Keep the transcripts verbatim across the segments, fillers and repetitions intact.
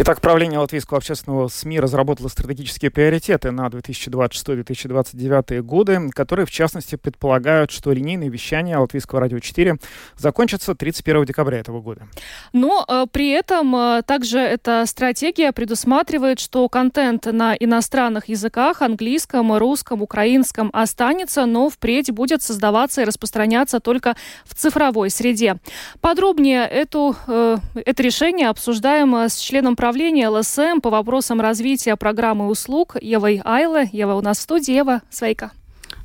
Итак, правление Латвийского общественного СМИ разработало стратегические приоритеты на две тысячи двадцать шестой — две тысячи двадцать девятый годы, которые, в частности, предполагают, что линейное вещание Латвийского радио четыре закончится тридцать первого декабря этого года. Но э, при этом э, также эта стратегия предусматривает, что контент на иностранных языках, английском, русском, украинском останется, но впредь будет создаваться и распространяться только в цифровой среде. Подробнее эту, э, это решение обсуждаем с членом правления ЛСМ по вопросам развития программы услуг Евой Айле. Ева у нас в студии. Ева, sveika.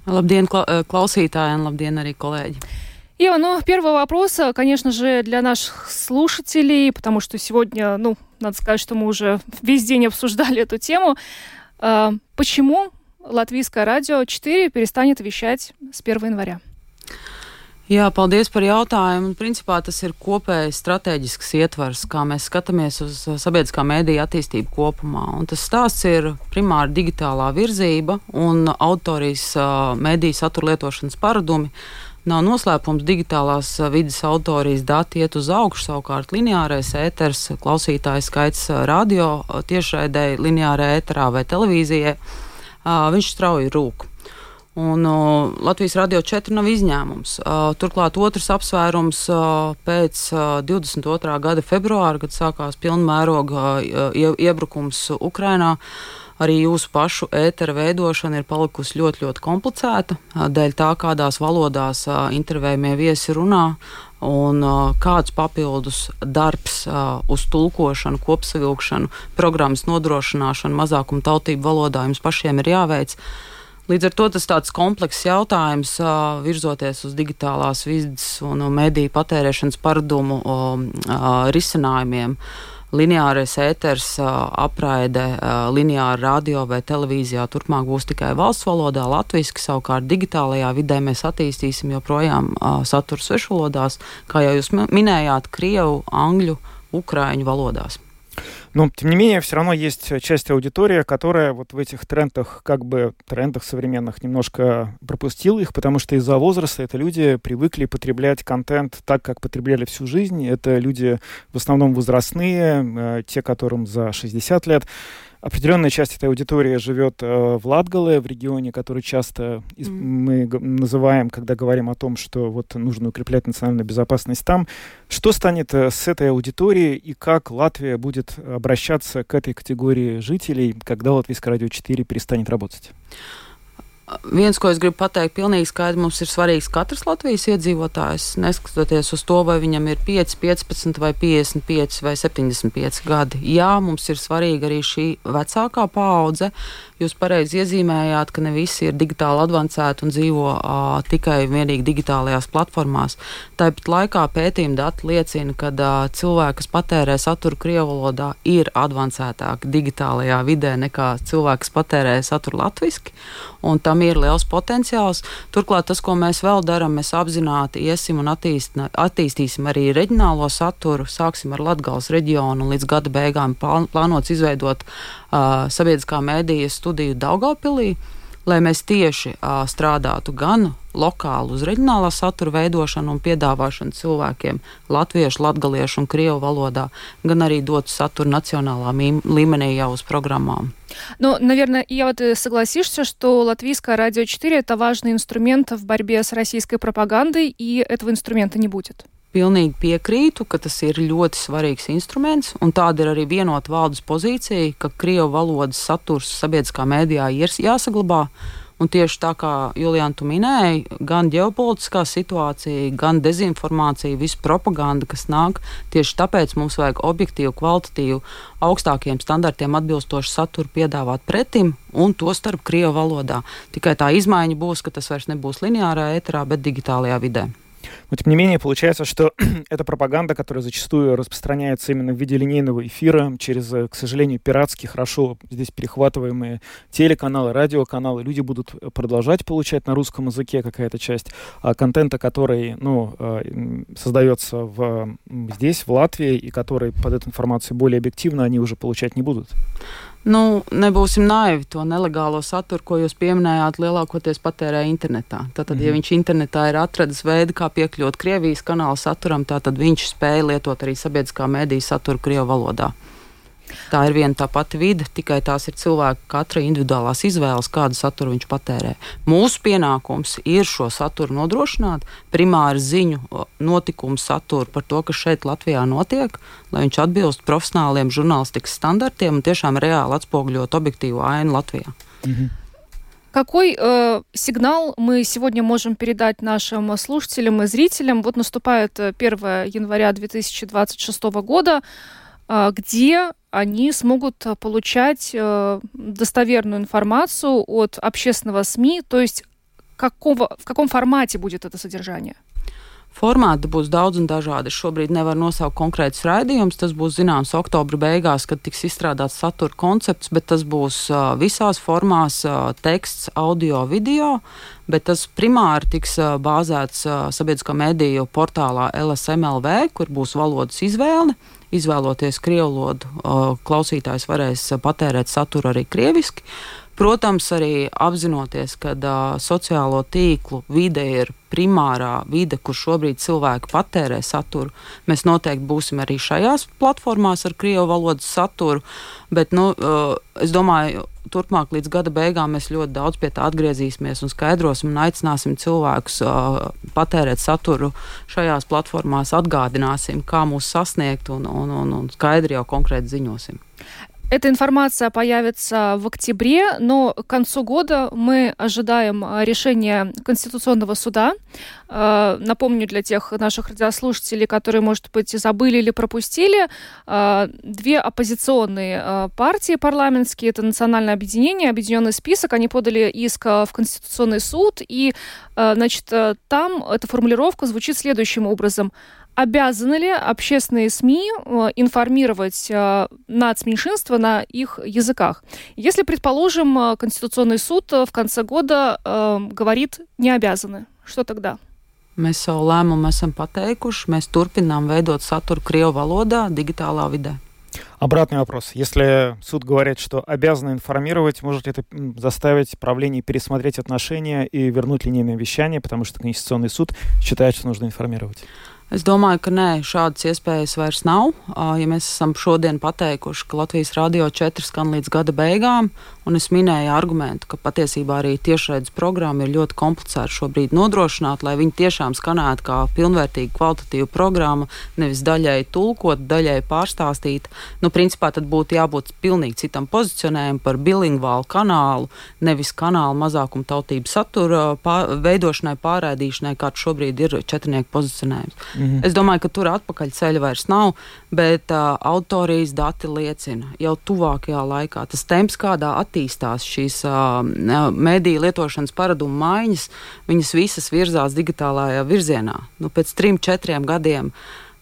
Labdien, klausītāji, un labdien arī kolēģi. Ева, ну, первый вопрос, конечно же, для наших слушателей, потому что сегодня, ну, надо сказать, что мы уже весь день обсуждали эту тему. Почему Латвийское радио четыре перестанет вещать с первого января? Jā, paldies par jautājumu. Principā tas ir kopējs strateģisks ietvars, kā mēs skatāmies uz sabiedriskā mēdīja attīstību kopumā. Un tas stāsts ir primāri digitālā virzība un autorijas mēdīja satura lietošanas paradumi. Nav noslēpums, digitālās vides autorijas dati iet uz augšu, savukārt lineārais ēters, klausītāju skaits radio tiešraidē, lineārā ēterā vai televīzijai, viņš strauji rūk. Un uh, Latvijas radio četri nav izņēmums. Uh, turklāt otrs apsvērums uh, pēc uh, divdesmit otrā gada februāra, kad sākās pilnmēroga uh, iebrukums Ukrainā, arī jūsu pašu ētera veidošana ir palikusi ļoti, ļoti komplicēta, uh, dēļ tā, kādās valodās uh, intervējumie viesi runā un uh, kāds papildus darbs uh, uz tulkošanu, kopsavilkšanu, programmas nodrošināšanu mazākumu tautību valodā jums pašiem ir jāveic. Līdz ar to tas tāds komplekss jautājums, uh, virzoties uz digitālās vides un uh, mediju patērēšanas paradumu uh, uh, risinājumiem. Lineārais ēters uh, apraide uh, lineāra radio vai televīzijā turpmāk būs tikai valsts valodā, latviski, savukārt digitālajā vidē mēs attīstīsim joprojām uh, saturu svešvalodās, kā jau jūs minējāt, krievu, angļu, ukraiņu valodās. Но, тем не менее, все равно есть часть аудитории, которая вот в этих трендах, как бы трендах современных, немножко пропустила их, потому что из-за возраста это люди привыкли потреблять контент так, как потребляли всю жизнь. Это люди в основном возрастные, те, которым за шестьдесят лет. Определенная часть этой аудитории живет э, в Латгале, в регионе, который часто из- mm. мы г- называем, когда говорим о том, что вот нужно укреплять национальную безопасность там. Что станет э, с этой аудиторией и как Латвия будет обращаться к этой категории жителей, когда Латвийское радио четыре перестанет работать? Viens, ko es gribu pateikt, pilnīgi skaidri, mums ir svarīgs katrs Latvijas iedzīvotājs, neskatoties uz to, vai viņam ir pieci, piecpadsmit vai piecdesmit pieci vai septiņdesmit pieci gadi. Jā, mums ir svarīga arī šī vecākā paudze. Jūs pareizi iezīmējāt, ka ne visi ir digitāli advancēti un dzīvo uh, tikai vienīgi digitālajās platformās. Tāpat laikā pētījuma dati liecina, ka uh, cilvēki, kas patērē saturu krievu valodā, ir advancētāki digitālajā vidē nekā cilvēki, kas patērē saturu latviski, un tam ir liels potenciāls. Turklāt tas, ko mēs vēl darām, mēs apzināti iesim un attīst, attīstīsim arī reģionālo saturu, sāksim ar Latgales reģionu un līdz gada beigām plānots izveidot uh, sabiedriskā mēdīja studiju Daugavpilī, lai mēs tieši uh, strādātu gan lokāli uz reģionālā satura veidošanu un piedāvāšanu cilvēkiem latviešu, latgaliešu un krievu valodā, gan arī dotu saturu национальном līmenī jau uz программām. Ну, наверное, я вот согласишься, что Латвийское радио четыре — это важный инструмент в борьбе с российской пропагандой, и этого инструмента не будет. Pilnīgi piekrītu, ka tas ir ļoti svarīgs instruments, un tāda ir arī vienota valdes pozīcija, ka krievu valodas saturs sabiedriskā mēdījā ir jāsaglabā. Un tieši tā kā Juliāna tu minēji, gan ģeopolitiskā situācija, gan dezinformācija, visa propaganda, kas nāk, tieši tāpēc mums vajag objektīvu, kvalitatīvu, augstākiem standartiem atbilstošu saturu piedāvāt pretim, un to starp krievu valodā. Tikai tā izmaiņa būs, ka tas vairs nebūs lineārā ēterā, bet digitālajā vidē. Но, тем не менее, получается, что эта пропаганда, которая зачастую распространяется именно в виде линейного эфира, через, к сожалению, пиратские, хорошо здесь перехватываемые телеканалы, радиоканалы, люди будут продолжать получать на русском языке какая-то часть а, контента, который ну, создается в, здесь, в Латвии, и который под эту информацию более объективно, они уже получать не будут. Nu, nebūsim naivi, to nelegālo saturu, ko jūs pieminējāt, lielākoties patērē internetā. Tātad, mm-hmm. ja viņš internetā ir atradis veidu, kā piekļūt Krievijas kanāla saturam, tātad viņš spēja lietot arī sabiedriskā mēdīja saturu krievu valodā. Tā ir viena tā pati vide, tikai tās ir cilvēka katra individuālās izvēles, kādu saturu viņš patērē. Mūsu pienākums ir šo saturu nodrošināt, primāri ziņu notikumu saturu par to, kas šeit Latvijā notiek, lai viņš atbilst profesionāliem žurnālistikas standartiem un tiešām reāli atspoguļot objektīvu ainu Latvijā. Mhm. Какой э, сигнал мы сегодня можем передать нашим слушателям и зрителям? Вот наступает первое января две тысячи двадцать шестого года, э, где они смогут получать э, достоверную информацию от общественного СМИ, то есть какого, в каком формате будет это содержание? Formāti būs daudz un dažādi. Es šobrīd nevaru nosaukt konkrētus raidījumus. Tas būs zināms oktobra beigās, kad tiks izstrādāts satura koncepts, bet tas būs uh, visās formās uh, teksts, audio, video, bet tas primāri tiks uh, bāzēts uh, sabiedriskā mediju portālā L S M L V, kur būs valodas izvēle. Izvēloties krievu valodu, uh, klausītājs varēs uh, patērēt saturu arī krieviski. Protams, arī apzinoties, ka uh, sociālo tīklu vide ir primārā vide, kur šobrīd cilvēki patērē saturu. Mēs noteikti būsim arī šajās platformās ar krievu valodas saturu, bet, nu, uh, es domāju, turpmāk līdz gada beigām mēs ļoti daudz pie tā atgriezīsimies un skaidrosim un aicināsim cilvēkus uh, patērēt saturu šajās platformās, atgādināsim, kā mūs sasniegt un, un, un, un skaidri jau konkrēti ziņosim. Эта информация появится в октябре, но к концу года мы ожидаем решения Конституционного суда. Напомню для тех наших радиослушателей, которые, может быть, забыли или пропустили, две оппозиционные партии парламентские, это Национальное объединение, Объединенный список, они подали иск в Конституционный суд, и, значит, там эта формулировка звучит следующим образом. Обязаны ли общественные СМИ информировать нацменьшинства на их языках? Если, предположим, Конституционный суд в конце года э, говорит «не обязаны», что тогда? Mēs savu lēmumu esam pateikuši, mēs turpinām veidot saturu krievu valodā, digitālā vidē. Обратный вопрос. Если суд говорит, что обязаны информировать, может ли это заставить правление пересмотреть отношения и вернуть линейное вещание, потому что Конституционный суд считает, что нужно информировать? Es domāju, ka nē, šādas iespējas vairs nav. Ja mēs esam šodien pateikuši, ka Latvijas Radio četri skan līdz gada beigām, un es minēju argumentu, ka patiesībā arī tiešraides programma ir ļoti komplicēta šobrīd nodrošināt, lai viņi tiešām skanētu kā pilnvērtīga kvalitatīva programma, nevis daļai tulkot, daļai pārstāstīt. Nu, principā tad būtu jābūt pilnīgi citam pozicionējumam par bilingvālu kanālu, nevis kanālu mazākuma tautību satura pār, veidošanai, pārraidīšanai, kāds šobrīd ir četrnieku pozicionējums. Mm-hmm. Es domāju, ka tur atpakaļ ceļa vairs nav, bet uh, autorijas dati liecina jau tuvākajā laikā. Tas temps, kādā attīstās šīs uh, mediju lietošanas paradumu maiņas, viņas visas virzās digitālajā virzienā. Nu, pēc trim, četriem gadiem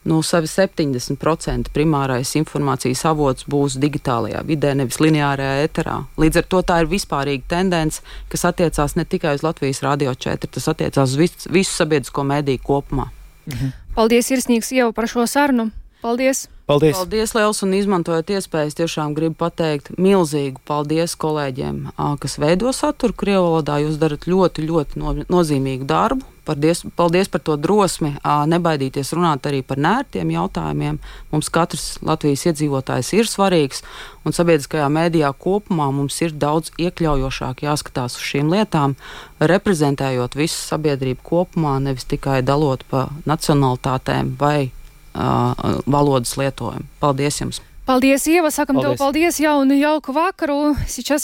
nu, savi septiņdesmit procenti primārais informācijas avots būs digitālajā vidē, nevis lineārajā eterā. Līdz ar to tā ir vispārīga tendence, kas attiecās ne tikai uz Latvijas Radio četri, tas attiecās uz visu, visu sabiedrisko mediju kopumā. Mhm. Paldies, Sirsnīgs Ieva, par šo sarunu. Paldies! Paldies! Paldies, liels, un izmantojot iespējas, tiešām gribu pateikt milzīgu paldies kolēģiem, kas veido saturu krievu valodā. Jūs darat ļoti, ļoti no, nozīmīgu darbu. Paldies, paldies par to drosmi, nebaidīties runāt arī par nērtiem jautājumiem. Mums katrs Latvijas iedzīvotājs ir svarīgs, un sabiedriskajā mēdījā kopumā mums ir daudz iekļaujošāk jāskatās uz šīm lietām, reprezentējot visu sabiedrību kopumā, nevis tikai dalot pa nacionalitātēm vai uh, valodas lietojumu. Paldies jums! Paldies, Ieva! Sakam paldies. tev paldies, jaunu jauku vakaru! Сейчас